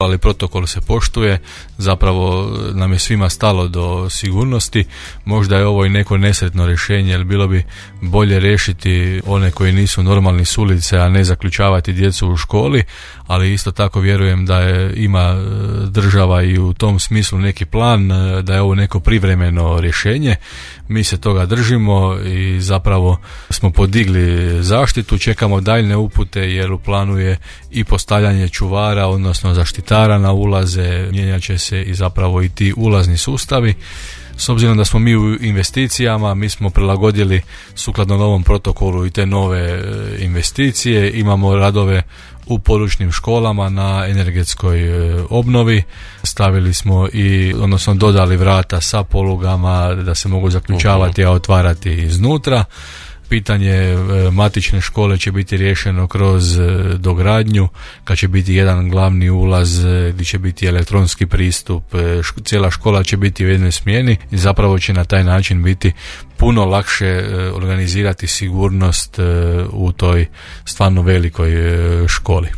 ali protokol se poštuje. Zapravo nam je svima stalo do sigurnosti. Možda je ovo i neko nesretno rješenje, jer bilo bi bolje riješiti one koji nisu normalni s ulice, a ne zaključavati djecu u školi, ali isto tako vjerujem da ima država i u tom smislu neki plan, da je ovo neko privremeno rješenje. Mi se toga držimo i zapravo smo podigli zaštitu, čekamo daljne upute jer u planu je i postavljanje čuvara, odnosno zaštitara na ulaze, mijenjat će se i zapravo i ti ulazni sustavi. S obzirom da smo mi u investicijama, mi smo prilagodili sukladno novom protokolu i te nove investicije, imamo radove u područnim školama na energetskoj obnovi, stavili smo odnosno dodali vrata sa polugama da se mogu zaključavati, a otvarati iznutra. Pitanje matične škole će biti riješeno kroz dogradnju, kad će biti jedan glavni ulaz gdje će biti elektronski pristup, cijela škola će biti u jednoj smjeni i zapravo će na taj način biti puno lakše organizirati sigurnost u toj stvarno velikoj školi.